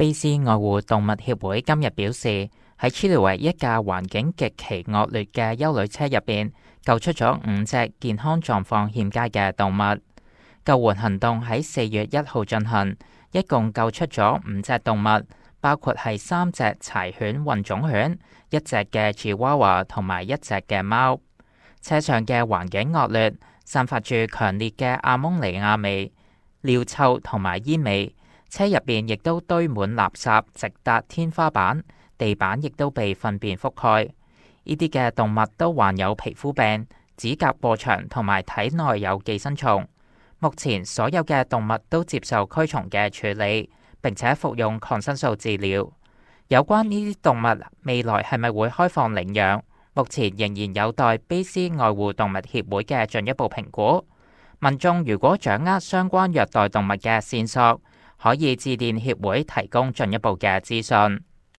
卑斯愛護動物協會今日表示，喺 Chile 一架環境極其惡劣嘅休旅車入邊，救出咗5隻健康狀況欠佳嘅動物。救援行動喺4月1號進行，一共救出咗5隻動物，包括係3隻柴犬混種犬、1隻嘅 Chihuahua 同埋1隻嘅貓。車上嘅環境惡劣，散發住強烈嘅阿蒙尼亞味、尿臭同埋煙味。車入邊亦都堆滿垃圾，直達天花板，地板亦都被糞便覆蓋。呢啲嘅動物都患有皮膚病、指甲過長同埋體內有寄生蟲。目前所有嘅動物都接受驅蟲嘅處理，並且服用抗生素治療。有關呢啲動物未來係咪會開放領養，目前仍然有待卑斯愛護動物協會嘅進一步評估。民眾如果掌握相關虐待動物嘅線索，可以致電協會提供進一步嘅資訊。